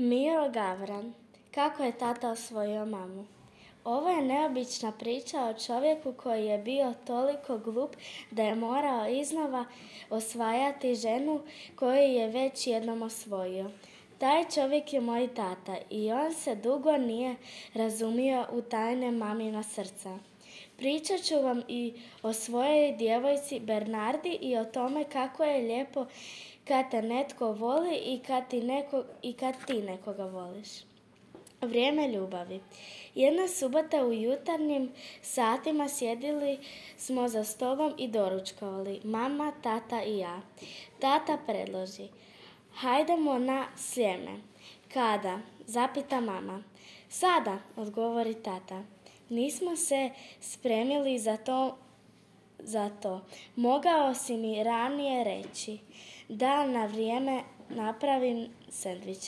Miro Gavran. Kako je tata osvojio mamu? Ovo je neobična priča o čovjeku koji je bio toliko glup da je morao iznova osvajati ženu koju je već jednom osvojio. Taj čovjek je moj tata i on se dugo nije razumio u tajne mamina srca. Pričat ću vam i o svojoj djevojci Bernardi i o tome kako je lijepo kad te netko voli i kad ti nekoga voliš. Vrijeme ljubavi. Jedna subota u jutarnjim satima sjedili smo za stolom i doručkovali, mama, tata i ja. Tata predloži: hajdemo na Sljeme. Kada? Zapita mama. Sada, odgovori tata. Nismo se spremili za to. Mogao si mi ranije reći da na vrijeme napravim sendviče.